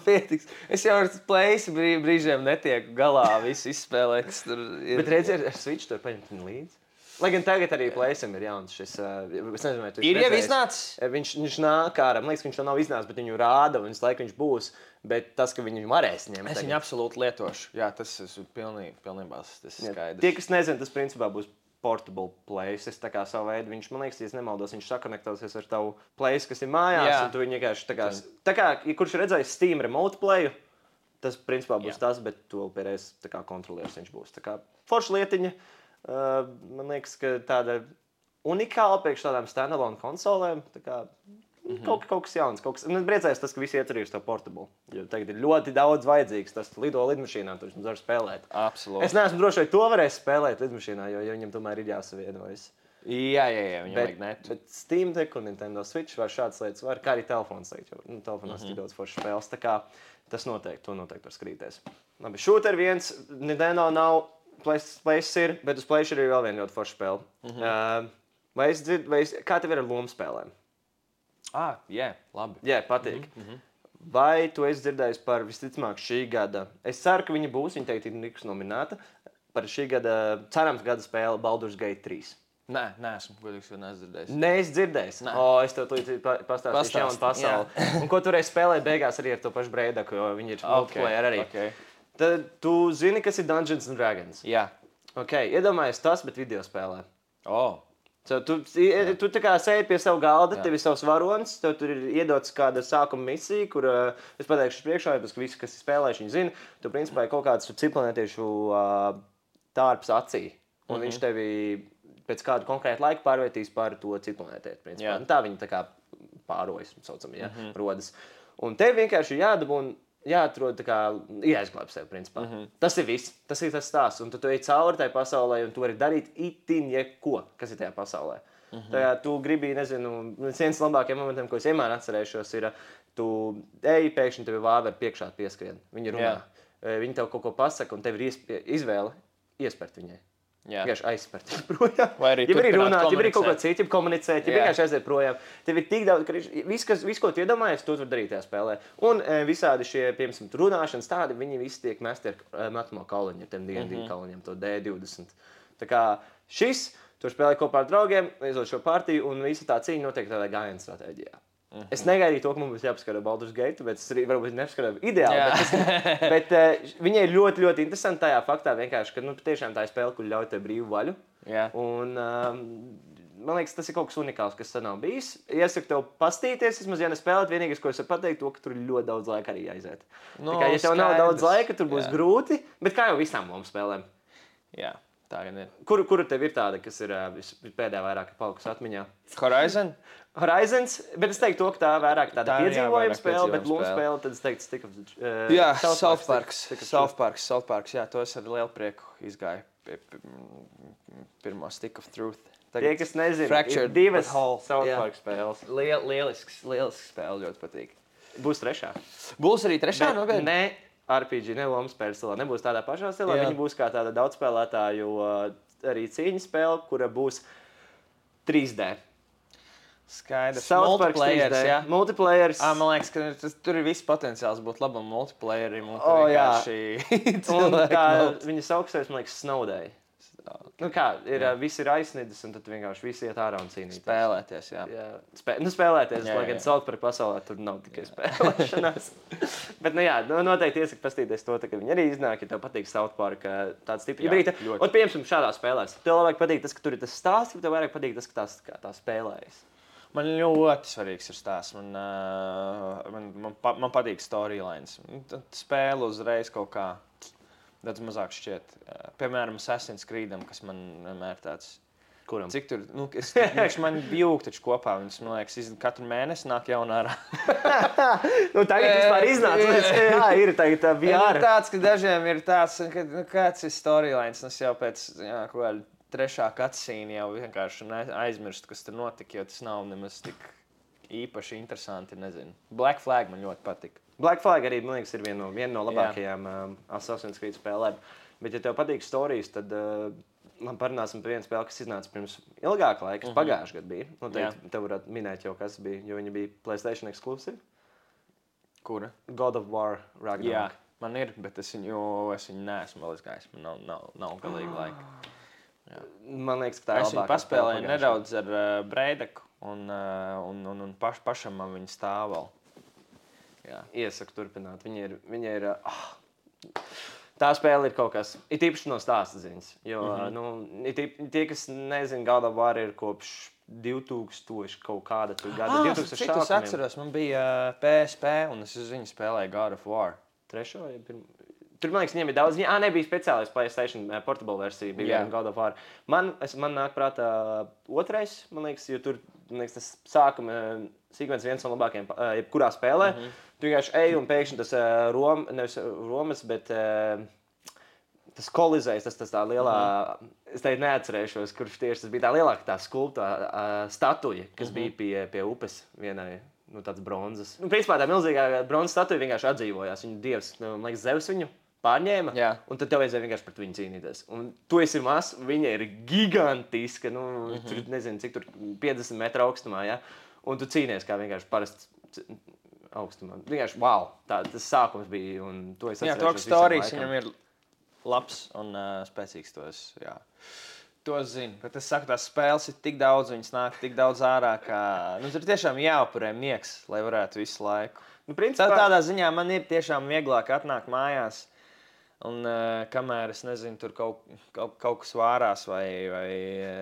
Pietiks. Es jau ar Playsi brīžiem netieku galā visu izspēlēt. Bet redziet, ar Switch to paņemt līdzi. Lai gan tagad arī Playsam ir jauns šis. Es nezinu, vai tu esi ir jau redzējis. iznācis? Viņš nāk ārā. Man liekas, ka viņš to nav iznācis, bet viņu rāda un visu laiku viņš būs. Bet tas, ka viņu varēs ņemt. Es viņu absolūti lietošu. Jā, tas ir pilnībā skaidrs. Tie, kas nezina, tas principā būs portable place. Es tā kā savu veidu, viņš, man liekas, ja nemaldos, viņš sakonektosies ar tavu place, kas ir mājās, un tu viņu vienkārši tā kā, ja kurš redzējis Steam Remote Playu, tas principā būs tas, bet tu pēdējais tā kā kontrolieris viņš būs. Tā kā forša lietiņa, man liekas, ka tāda unikāla priekš tādām standalone konsolēm, tā kā kaut kas jauns, kaut kas. Un es priecājos tas, ka visi iecerījuši to portable. Jo tagad ir ļoti daudz vajadzīgs. Tas lido lidmašīnā, tur var spēlēt. Absolūti. Es neesmu droši, vai to varēs spēlēt lidmašīnā, jo viņam tomēr ir jāsavienojas. Jā, viņam vajag net. Bet Steam Deck un Nintendo Switch var šādas lietas, var kā arī telefons teikt, jo telefonās ir daudz foršas spēles. Tā kā tas noteikti var skrīties. Labi, shooter viens, Nintendo nav, Plays ir, bet uz Plays ir vēl viena ļoti forša spēle. Kā tev ir ar lomu spēlēm? Jā, labi. Jā, patīk. Vai tu esi dzirdējis par visticamāk šī gada? Es ceru, ka viņa būs, viņa teikt, ir nominēta par šī gada, cerams gada spēli Baldur's Gate 3. Nē, neesmu, godīgs, jo neesmu dzirdējis. Neesi dzirdējis? Es tev pastāstīšu jaunu pasauli. Un ko tu reiz spēlēji beigās arī ar to pašu Breidaku, jo viņi ir multiplayer arī. Tad tu zini, kas ir Dungeons & Dragons? Jā. Iedomājies tas, bet video spēlē. Tu tā kā sēdi pie sava galda, tev ir savs varonis, tev tur ir iedots kāda sākuma misija, kur es pateikšu priekšā, ka visi, kas ir spēlējuši, viņi zina, tu principā ir kaut kāds ciplanētiešu tārps acī, un viņš tevi pēc kādu konkrētu laiku pārvērtīs par to ciplanētieti. Tā viņi tā kā pārojas, saucam, rodas. Un tev vienkārši jādabū un jāatrod, jāizglāb sevi, principā. Tas ir viss, tas ir tas stāsts. Un tu ej cauri tai pasaulē, un tu vari darīt itin jebko, kas ir tajā pasaulē. Tu gribi, nezinu, viens no labākajiem momentiem, ko es vienmēr atcerēšos, ir, tu ej, pēkšņi tevi vāveri priekšā pieskrien. Viņi runā. Viņi tev kaut ko pasaka, un tev ir izvēle iespērt viņai. Vienkārši aizspērt projām. Vai arī runāt, ja arī kaut ko citu, ja komunicēt, ja vienkārši aiziet projām. Tev ir tik daudz, ka viss, ko tu iedomājies, to var darīt tajā spēlē. Un visādi šie, piemēram, runāšanas tādi, viņi visi tiek mesti ar metamo kauliņu, ar tiem D&D kauliņiem, to D20. Tā kā šis, tu spēlē kopā ar draugiem, izdod šo partiju, un visa tā cīņa notiek tādā gājiena stratēģijā. Es negaidīju to, ka mums būs jāpaskatās Baldur's Gate, bet es arī varbūt nepaskatās ideāli. Bet viņai ir ļoti, ļoti interesanti tajā faktā, vienkārši, ka tiešām tā ir spēle, kur ļauj tev brīvu vaļu. Un man liekas, tas ir kaut kas unikāls, kas nav bijis. Iesaku tev pastīties, vismaz, ja nespēlēt, vienīgais, ko es varu pateikt, to, ka tur ir ļoti daudz laika arī aiziet. Ja tev nav daudz laika, tur būs grūti, bet kā jau visām lomu spēlēm. Jā. Tā gan ir. Kuru tev ir tāda, kas ir pēdējā vairāk palikusi atmiņā? Horizons, bet es teiktu to, ka tā vairāk tāda piedzīvojuma spēle, bet lomu spēle, tad es teiktu Stick of... Jā, South Parks, jā, to es ar lielu prieku izgāju pie pirmo Stick of Truth. Tie, kas nezina, ir divas South Park spēles. Lielisks spēle, ļoti patīk. Būs trešā. Būs arī trešā? Ne. RPG, ne lomu spēles stilā, nebūs tādā pašā stilā. Viņa būs kā tāda daudzspēlētāju arī cīņas spēle, kura būs 3D. Skaidrs. Multiplayers, jā. Multiplayers. Man liekas, ka tur ir viss potenciāls būt labam multiplayerim. Un kā viņa sauksies, man liekas, Snowday. Nu kā, visi ir aizsniedzis, un tad vienkārši visi iet ārā un cīnīties. Spēlēties, jā. Spēlēties, Jā, lai gan jā. South Park pasaulē tur nav tikai spēlēšanās. Bet, noteikti iesaka pastīties to, ka viņi arī iznāk, ja tev patīk South Park tāds tips. Jā, Brīta, ļoti. un piemēram šādā spēlēs, tev labāk patīk tas, ka tur ir tas stāsts, vai tev vairāk patīk tas, ka tā spēlējas? Man ļoti svarīgs ir stāsts. Man patīk storylines. Tad spēle uzreiz kaut kā daudz mazāk šķiet. Piemēram, Assassin's Creedam, kas man vienmēr tāds... Kuram? Cik tur, viņš man jūg taču kopā, viņš, man liekas, katru mēnesi nāk jaunā ārā. Tagad vispār iznāca, jā, ir tagad VR. Tāds, ka dažiem ir tāds, ka kāds ir storylines, tas jau pēc, kaut kāda 3. cutscene jau vienkārši aizmirst, kas tur notika, jo tas nav nemaz tik īpaši interesanti, nezinu. Black Flag man ļoti patika. Black Flag arī, man liekas, ir viena no labākajām Assassin's Creed spēlēm. Bet, ja tev patīk storijas, tad man parunāsim par vienu spēli, kas iznāca pirms ilgāka laika, kas pagājušajā gadā bija. Noteikti tev varētu minēt jau, kas bija, jo viņi bija PlayStation exclusive. Kura? God of War Ragnarok. Jā, man ir, bet es viņu neesmu vēl izgājis. Man nav galīgi laika. Jā. Man liekas, ka tā ir Es viņu labākā paspēlēju spēle nedaudz ar Breideku un pašam man viņa stāv vēl. Jā. Iesaku turpināt. Viņa ir tā spēle ir kaut kas, it īpaši no stāsta ziņas. Jo, tie, kas nezina, God of War ir kopš 2000 kaut kāda gada. 2000 cik es atceros, man bija PSP un es uz viņu spēlēju God of War. Trešo, ja tur, man liekas, viņiem ir daudz. Nebija speciālais PlayStation portable versija, bija viena God of War. Man nāk prātā otrais, man liekas, jo tur, man liekas, tas sākuma sekvence viens no labākajiem, jebkurā spēlē. Tu vienkārši ej un pēkšņi tas nevis Romas, bet tas kolizējs, tas tā lielā, es teicu neatcerēšos, kurš tieši tas bija tā lielāka tā skulptā statuja, kas bija pie upes vienai. Tāds bronzas. Principā tā milzīgā bronzas statuja vienkārši atdzīvojās. Viņa dievs, man liekas, Zeus viņu pārņēma. Jā. Un tad tev vajadzēja vienkārši pret viņu cīnīties. Un tu esi mazs, viņa ir gigantiska. Tur nezinu, cik tur 50 metru augstumā. Ja? Un tu cīnies kā vienkārši parasts augstumā. Vienkārši wow, tas sākums bija. Un to es atceros. Jā, to storijas viņam ir labs un spēcīgs tos. Jā. To zinu, bet es saku, tās spēles ir tik daudz, viņas nāk tik daudz ārā, ka tur tiešām jāupurē miegs, lai varētu visu laiku. Principā... Tādā ziņā man ir tiešām vieglāk atnākt mājās, un kamēr es nezinu, tur kaut kas vārās vai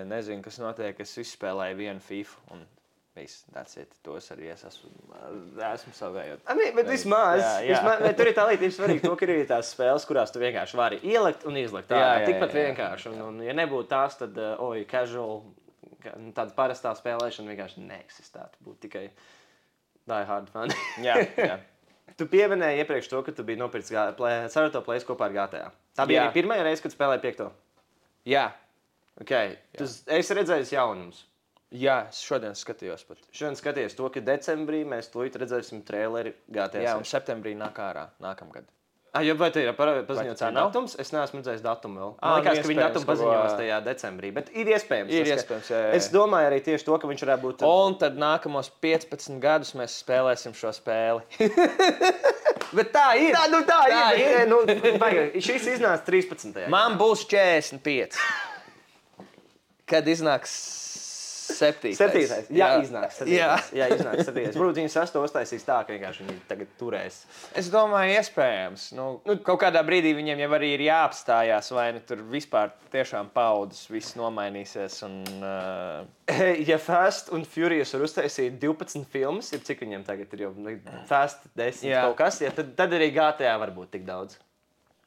nezinu, kas notiek, es izspēlēju vienu FIFA, un viss, that's it. Tos arī es esmu savējot. Bet vismaz, tur ir tā lieta, ir svarīgi to, ka ir tās spēles, kurās tu vienkārši vari ielikt un izlikt. Tikpat vienkārši. Un, ja nebūtu tās, tad casual, tāda parastā spēlēšana vienkārši neeksistētu. Būtu tikai die hard fan. Jā. Tu pieminēji iepriekš to, ka tu biji nopircis Ceroto Place kopā ar GTA. Tā bija arī pirmā reize, kad spēlēji 5. Jā. Okay. Tu esi redzējis jaunumus. Jā, es šodien skatījos pat. Šodien skatījos to, ka decembrī mēs tūlīt redzēsim traileri GTA. Jā, un septembrī nāk ārā nākamgad. Vai te ir paziņots datums? Es neesmu redzējis datumu vēl. Man liekas, ka viņi datumu paziņos tajā decembrī, bet ir iespējams. Jā. Es domāju arī tieši to, ka viņš varētu būt... Un tad nākamos 15 gadus mēs spēlēsim šo spēli. Bet tā ir. Tā ir. Šis iznāca 13. Man būs 45. Kad iznāks 7. Jā, iznāks 7. Jā, iznāks 7. Varbūt viņi 8 uztaisīs tā, ka vienkārši viņi tagad turēs. Es domāju, iespējams. Kaut kādā brīdī viņiem jau arī ir jāapstājās, vai tur vispār tiešām paudzes viss nomainīsies. Ja Fast un Furious var uztaisīt 12 filmas, cik viņiem tagad ir jau Fast 10 kaut kas, tad arī GTA var būt tik daudz.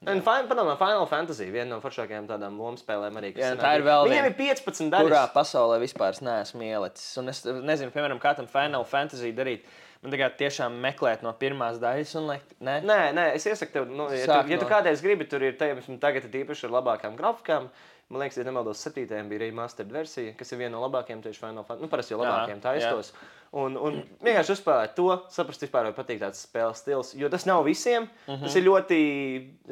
Un Final Fantasy, viena no foršākajām tādām lomspēlēm arī. Jā, tā ir vēl viņiem ir 15 daļas. Kurā pasaulē vispār neesmu ielicis. Un es nezinu, piemēram, kā tam Final Fantasy darīt. Man tagad tiešām meklēt no pirmās daļas un liekt, ne? Nē, es iesaku tev, ja tu kādreiz gribi, tur ir tagad īpaši ar labākām grafikām. Man liekas, ja nemaldos, 7. bija remastered versija, kas ir viena no labākajām tieši Final Fantasy. Parasti jau labākajiem taistos. Un vienkārši uzspēlēt to, saprast vispār, vai patīk tāds spēles stils. Jo tas nav visiem. Tas ir ļoti,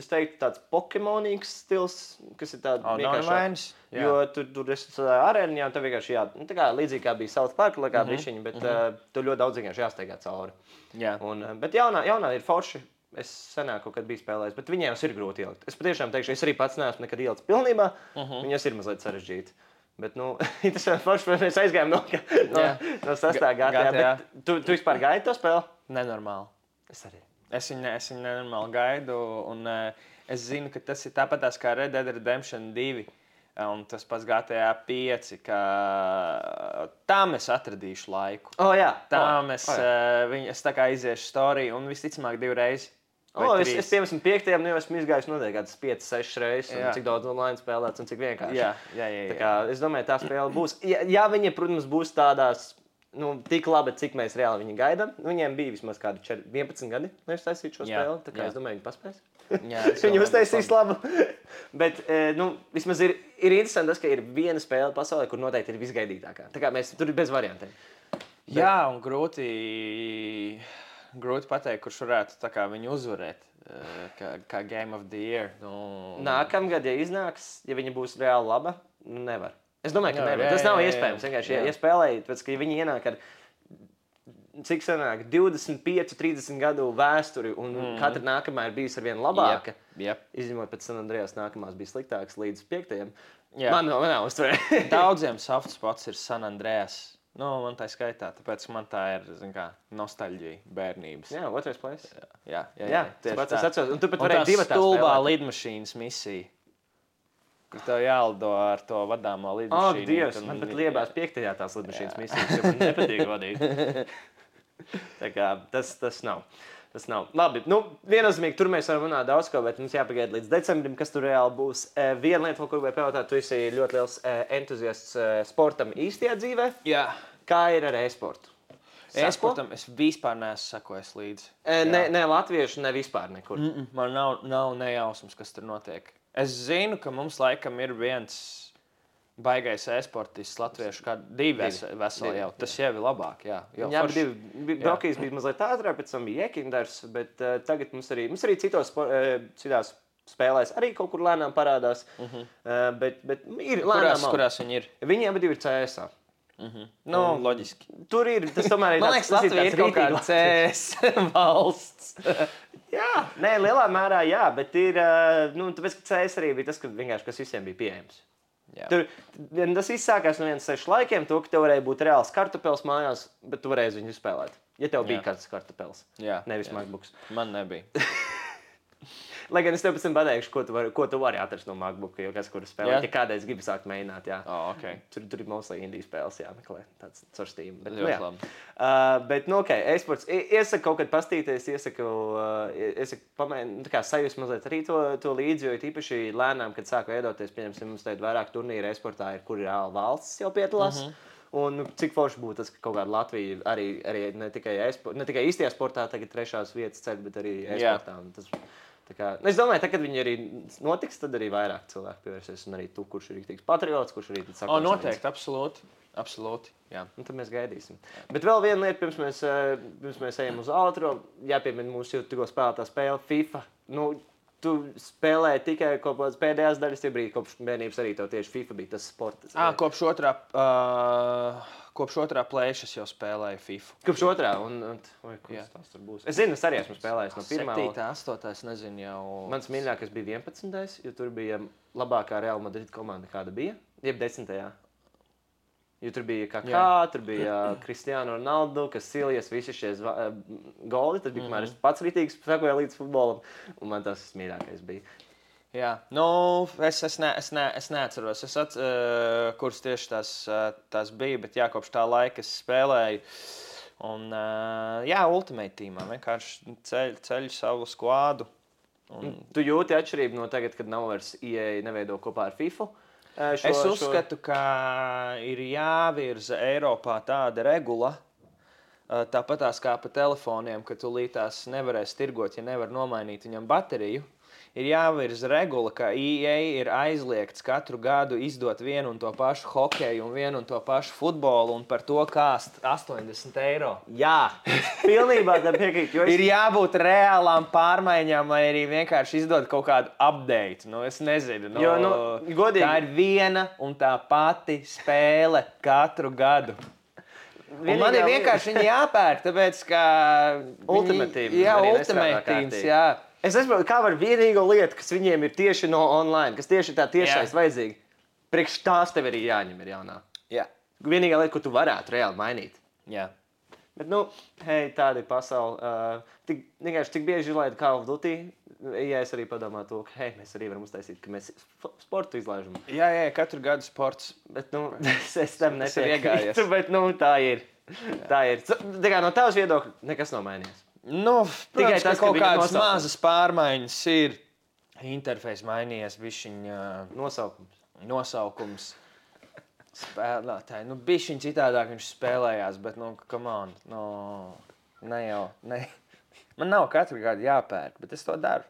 es teiktu, tāds pokemonīgs stils, kas ir tāds vienkārši. Jo tur esi tādā arēniņā, un tev vienkārši tā kā līdzīgi kā bija South Park, kā brišiņi, bet tur ļoti daudz vienkārši jāsteigā cauri. Bet jaunā ir forši. Es senāk kaut kad biju spēlējis, bet viņiem ir grūti ielikt. Es patiešām teikšu, es arī pats neesmu nekad ielicis pilnībā. Viņas ir mazliet sarežģīti. Bet, tas ir forši, mēs aizgājām no 6. GTA. Tu vispār gaidi to spēli? Nenormāli. Es arī. Es viņu nenormāli gaidu, un es zinu, ka tas ir tāpatās kā Red Dead Redemption 2. Un tas pats GTA 5, ka tam es atradīšu laiku. Tam es tā kā iziešu storiju un visticamāk 2 reizes. Es 55. jau esmu izgājis noteikti kādas 5-6 reizes, un cik daudz online spēlēts un cik vienkārši. Jā. Tā kā, es domāju, tā spēle būs. Ja viņi, protams, būs tādās tik labi, cik mēs reāli viņu gaidām. Viņiem bija vismaz kādi 11 gadi, lai uztaisītu šo spēli. Tā kā es domāju, viņi paspēs. Viņi uztaisīs labu. Bet vismaz ir interesanti tas, ka ir viena spēle pasaulē, kur noteikti ir visgaidītākā. Tā kā mēs tur ir bez variantiem. Jā, un grūti pateikt, kurš varētu viņu uzvarēt, kā Game of the Year. Nākamgad, ja iznāks, ja viņa būs reāli laba, nevar. Es domāju, ka nevar. Tas nav iespējams. Vienkārši, ja spēlējat, pēc, ka viņi ienāk ar cik sanāk 25, 30 gadu vēsturi, un katra nākamā ir bijusi ar vienu labāka. Izņemot pēc San Andreas nākamās bija sliktākas līdz 5. Man nav uztverē. Daudziem soft spots ir San Andreas. Man tā skaitā, tāpēc man tā ir, nostalģija bērnības. Jā, otrais place. Jā, tieši tā. Es atceros, un tu pat varēji divatā spēlēt. Un tā stulbā lidmašīnas misija, kur tev jālido ar to vadāmo lidmašīnu. Dievs, man pat liebās 5. tās lidmašīnas misijas, jo man nepatīk vadīt. Tā kā tas nav. Tas nav. Labi, viennozīmīgi, tur mēs varam runāt daudz ko, bet mums jāpagaida līdz decembrim, kas tur reāli būs. Viena lieta, ko gribēju pajautāt, tu esi ļoti liels entuziasts sportam īstajā dzīvē. Jā. Kā ir ar e-sportu? E-sportam es vispār neesmu sekojis līdzi. Ne latviešu, ne vispār nekur. Man nav nejausmas, kas tur notiek. Es zinu, ka mums laikam ir viens baigais e-sportists latviešu, kā 2 veseli jau. Tas jau ir labāk, jā. Brokijs bija mazliet ātrāk, pēc tam bija Jekindars, bet tagad mums arī citās spēlēs arī kaut kur lēnām parādās. Bet ir lēnām. Kurās viņi ir? Viņi abi ir CS-ā. Loģiski. Tur ir, tas tomēr ir man liekas, Latvija ir kaut kāda CS valsts. Jā, lielā mērā jā, bet ir, tāpēc, ka CS arī bija tas, kas visiem bija pieejams. Tas izsākās no 6 laikiem, to, ka tev varēja būt reāls kartupels mājās, bet tu varēji viņu spēlēt. Ja tev bija kāds kartupels, nevis MacBooks. Man nebija. Lai gan es tev pēc tam pateikšu, ko tu vari atrast no MacBooka, jo kas kuru spēlēt. Ja kādreiz gribi sākt mēģināt, tur ir mostly indie spēles jāmeklē, tāds caur Steam. Bet, e-sports. Iesaku kaut kad pastīties, iesaku sajust mazliet arī to līdzi, jo īpaši lēnām, kad sāku veidoties, pieņemsim, mums tagad vairāk turnīru e-sportā ir, kur ir valsts jau piedalās. Un cik forši būtu tas, ka kaut kāda Latvija arī ne tikai īstajā sportā tagad 3. vietas ceļ, bet arī e-sportā. Es domāju, ka, kad viņi arī notiks, tad arī vairāk cilvēku pievērsies. Un arī tu, kurš ir rīktīgs patriots, kurš arī saka, noteikti, absolūti. Jā. Un tad mēs gaidīsim. Bet vēl viena lieta, pirms mēs ejam uz outro, jāpiemina mūsu tikko spēlētā spēle FIFA. Tu spēlēji tikai kaut kādas pēdējās daļas, tie brīdi, kopš bērnības arī tev tieši FIFA bija tas sports. Kopš otrā plēšas jau spēlēju FIFA. Kopš otrā? Kas tas tur būs? Es zinu, es arī esmu spēlējis no 1. 7, 8, nezinu jau. Mans mīļākais bija 11. Jo tur bija labākā Real Madrid komanda, kāda bija. Jeb 10. Jo tur bija Kaká, tur bija Cristiano Ronaldo, Casillas, visi šie goli. Tas bija, kamēr es pats rītīgs sekoju līdz futbolam, un man tas mīļākais bija. Jā, es neatceros, kuras tieši tās bija, bet kopš tā laika es spēlēju. Un, Ultimate Teamā vienkārši ceļu savu skvādu. Tu jūti atšķirību no tagad, kad nav vairs EA neveido kopā ar FIFA? Es uzskatu, ka ir jāvirza Eiropā tāda regula, tāpatās kā pa telefoniem, ka tu līdz nevarēsi tirgot, ja nevar nomainīt viņam bateriju. Ir jāvirza regula, ka EA ir aizliegts katru gadu izdot vienu un to pašu hokeju un vienu un to pašu futbolu un par to kāst 80 eiro. Jā, pilnībā tam piekrīt. Ir jābūt reālām pārmaiņām vai arī vienkārši izdot kaut kādu update. Es nezinu. Godīgi. Tā ir viena un tā pati spēle katru gadu. Un man ir vienkārši viņi jāpērk, tāpēc, ka... Ultimatīvs. Jā, ultimatīvs, jā. Es nesaprotu, kā var vienīgo lietu, kas viņiem ir tieši no online, kas tieši tā tiešais vajadzīgi, priekš tās tev arī jāņem ir jaunā. Jā. Vienīgā lieta, ko tu varētu reāli mainīt. Jā. Bet, hei, tāda ir pasaule. Vienkārši tik bieži laida Call of Duty, ja es arī padomāju to, ka, hei, mēs arī varam uztaisīt, ka mēs sportu izlaižam. Jā, katru gadu sports. Bet, es tam nepiekrītu, bet, tā ir. Tā ir. Tā kā no tavas viedokļa nekas nav mainījies. Tikai tas, ka kaut kādas mazas pārmaiņas ir. Interfejs mainījies, bišķiņ... Nosaukums. Spēlētāji. Bišķiņ citādāk viņš spēlējās, bet, come on. Ne jau. Man nav katru gadu jāpērk, bet es to daru.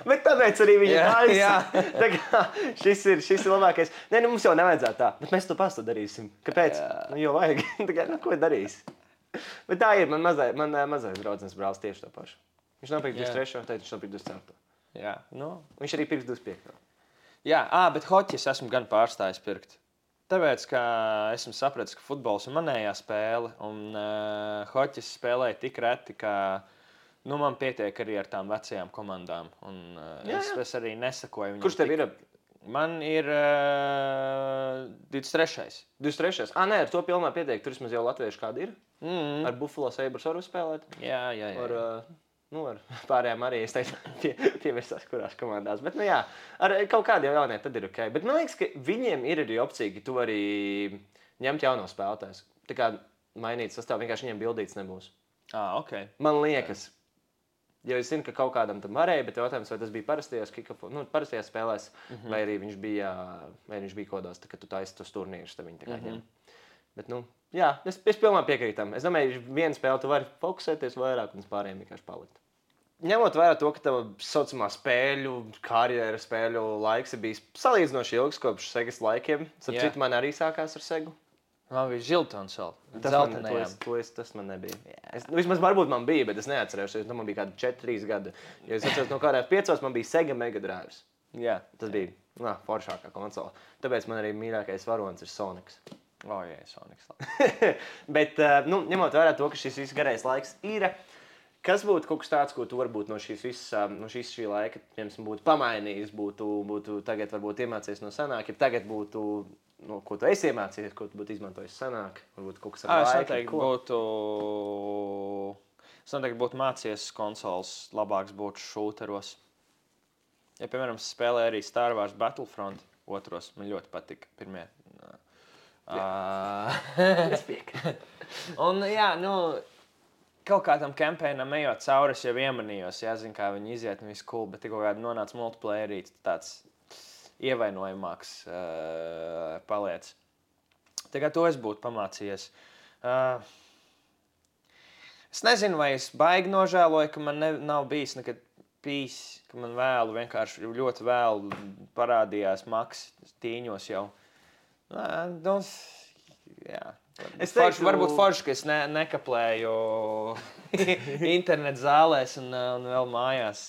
Bet tāpēc arī viņa taisa. Tā kā šis ir labākais. Nē, mums jau nevajadzētu tā, bet mēs to pastu darīsim. Kāpēc? Jo vajag. Tā kā, ko darīs? Bet tā ir. Man mazais draudzens brālis tieši to pašu. Viņš nopirka 23. Tad viņš nopirka 24. Jā, Viņš arī pirks 25. Jā, bet hoķi es esmu gan pārstājis pirkt. Tāpēc, ka esmu sapratis, ka futbols ir manējā spēle, un hoķis spēlēja tik reti, ka man pietiek arī ar tām vecajām komandām. Un es arī nesakoju viņam. Kurš tev ir? Man ir 23. 23. Nē, ar to pilnā pietiek. Tur vismaz jau latvieši kādi ir. Ar Buffalo Sabres varu spēlēt. Jā. Ar pārējām arī, es teiktu, pievērsās kurās komandās. Bet, ar kaut kādiem jauniem tad ir ok. Bet man liekas, ka viņiem ir arī opcija, ka tu vari ņemt jauno spēlētājs. Tā kā mainīt sastāvu, vienkārši viņiem bildīts nebūs. Ok. Man liekas. Jo es zinu, ka kaut kādam tam varēja, bet jautājums, vai tas bija parastajās spēlēs, vai arī viņš bija kodos, kad tu taisi tos turnīrus, tad viņi tā kā ņem. Bet, es pilnībā piekrītu tam. Es domāju, vienu spēli tu vari fokusēties vairāk un pārējiem vienkārši palikt. Ņemot vērā to, ka tava saucamā karjera spēļu laiks ir bijis salīdzinoši ilgs kopš Segas laikiem. Citu man arī sākās ar Segu. Man bija Žiltons vēl. Tas man nebija. Vismaz varbūt man bija, bet es neatcerēšos. Man bija kādi 4-3 gadi. Jo es atceros, no kādās 5 man bija Sega Mega Drives. Jā. Tas bija foršākā konsola. Tāpēc man arī mīļākais varonis ir Sonics. Sonics. Bet, ņemot vērā to, ka šis viss garais laiks ir, kas būtu kaut kas tāds, ko tu varbūt no šī laika, piemēram, būtu pamainījis, būtu tagad varbūt iemācījies no senāk, ja tagad būtu, ko tu esi iemācījies, ko tu būtu izmantojis senāk, varbūt kaut kas ar laiku. Es noteikti būtu mācījies konsoles, labāks būtu šūteros. Ja, piemēram, spēlēju arī Star Wars Battlefront 2, man ļoti patika pirmie. Es piekrītu. Un, kaut kādam kampaņam ejot cauri, es jau iemanījos, zinu, kā viņi iziet un viss cool, bet tikko kādā nonāca multiplayerī, tāds ievainojamāks paliec. Tā kā to es būtu pamācījies. Es nezinu, vai es baigi nožēloju, ka man nav bijis nekad ka man vienkārši ļoti vēlu parādījās maks tīņos jau. Varbūt forši, ka es nekaplēju internetu zālēs un vēl mājās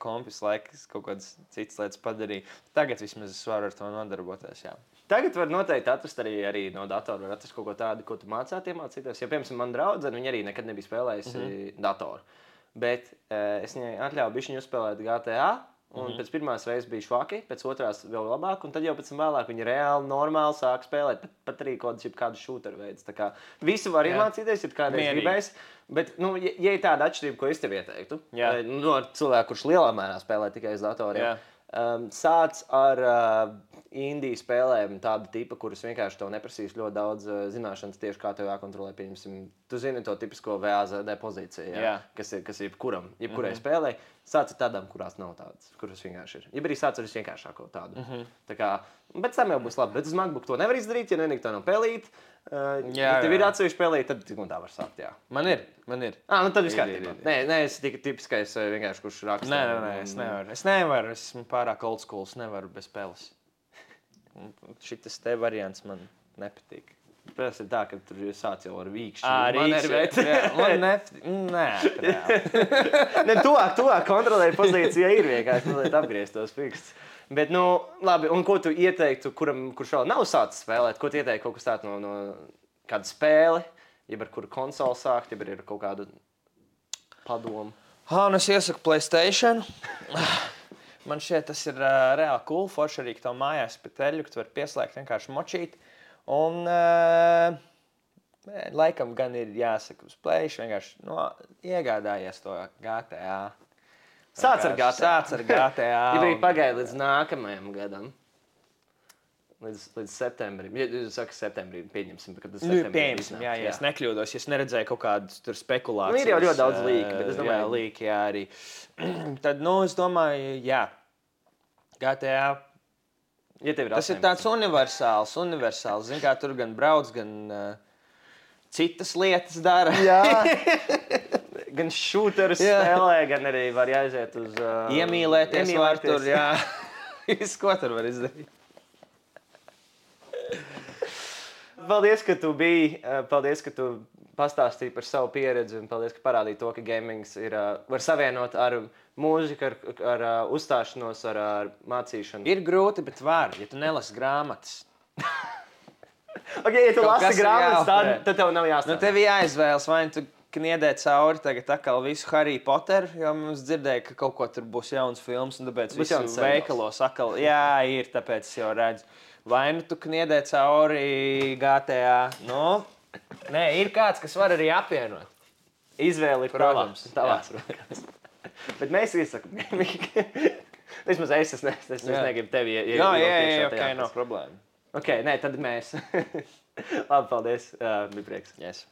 kompis laiks kaut kādas citas lietas padarīju. Tagad vismaz es varu ar to nodarboties, jā. Tagad var noteikti atrast arī no datora, var atrast kaut ko tādu, ko tu iemācīties. Ja, piemēram, man draudzene, viņa arī nekad nebija spēlējusi datoru. Bet es viņai atļauju bišķiņu uzspēlēt GTA, un pēc pirmās reizes bija švaki, pēc otrās vēl labāk, un tad jau pēc tam vēlāk viņa reāli normāli sāk spēlēt, pat arī kādu šūteru veids. Tā kā visu var iemācīties, ja kādreiz gribēs, bet, ja ir tāda atšķirība, ko es tev ieteiktu, ar cilvēku, kurš lielā mērā spēlē tikai uz datoriem, sāc ar indiju spēlēm tāda tipa, kuras vienkārši tev neprasīs ļoti daudz zināšanas tieši kā tev jākontrolē, pieņemsim. Tu zini to tipisko VAZD pozīciju, kas ir jebkurai spēlē. Sāc ar tādām, kurās nav tādas, kuras vienkārši ir. Ja arī sāc ar visvienkāršāko tādu. Tā kā, bet tam jau būs labi. Bet uz MacBook to nevar izdarīt, ja nevienīgi tā nav pelīt. Ja tev ir atsevišķi pelīt, tad tā var sākt, jā. Man ir. Tad viss kārtībā. Nē, es tikai tipiskais vienkārši, kurš raksta. Nē, es nevaru. Es esmu pārāk old school, es nevaru bez peles. Šitas te variants man nepatīk. Tas ir tā, ka tur sāc jau ar vīkšķi. Tuvāk kontrolēja pozīcija ir vienkārši, mazliet apgriezt tos fikstus. Bet, labi, un ko tu ieteiktu, kurš vēl nav sācis spēlēt? Ko tu ieteiktu kaut kas tāds no kāda spēle, ja ar kuru konsoli sākt, ja ir kaut kāda padoma? Nu es iesaku PlayStation. Man šķiet, tas ir reāli cool. Forši arī, ka tev mājās pie teļu, ka tu vari pieslēgt vienkārši močīt. Un laikam gan ir jāsaka uz PlayStation, vienkārši iegādājies to GTA. Sāc ar GTA. Ja arī pagaidi līdz nākamajam gadam. Līdz septembrim. Ja jūs sakat septembrī, pieņemsim, ka tas septembrī pieņemsim, jā. Es nekļūdos, ja es neredzēju kaut kādas tur spekulācijas. Ir jau ļoti daudz līki, bet es domāju... Jā, līki, jā, arī. Tad, es domāju, jā. GTA... Ja tev ir tas 18. Ir tāds universāls. Zin kā, tur gan brauc, gan citas lietas dara. Jā. Gan šūterus spēlē, gan arī var jāiziet uz... Iemīlēties var tur, jā. Viss, ko tur var izdarīt. Paldies, ka tu biji. Paldies, ka tu pastāstīji par savu pieredzi. Un paldies, ka parādīji to, ka gamings var savienot ar mūziku, ar uzstāšanos, ar mācīšanu. Ir grūti, bet var, ja tu nelasi grāmatas. Ja tu lasi grāmatas, tad tev nav jāstāv. Tev jāizvēlas, vai tu kniedē cauri tagad atkal visu Harry Potter, jo mums dzirdēja, ka kaut ko tur būs jauns films, un tāpēc visu veikalos atkal, jā, ir, tāpēc es jau redzu. Vai tu kniedē cauri GTA? Nē, ir kāds, kas var arī apvienot. Izvēle ir tavās rokās. Bet mēs iesakam. Vismaz es negribu tevi jā, ok, nav problēma. Ok, nē, tad mēs. Labi, paldies. Bija prieks. Yes.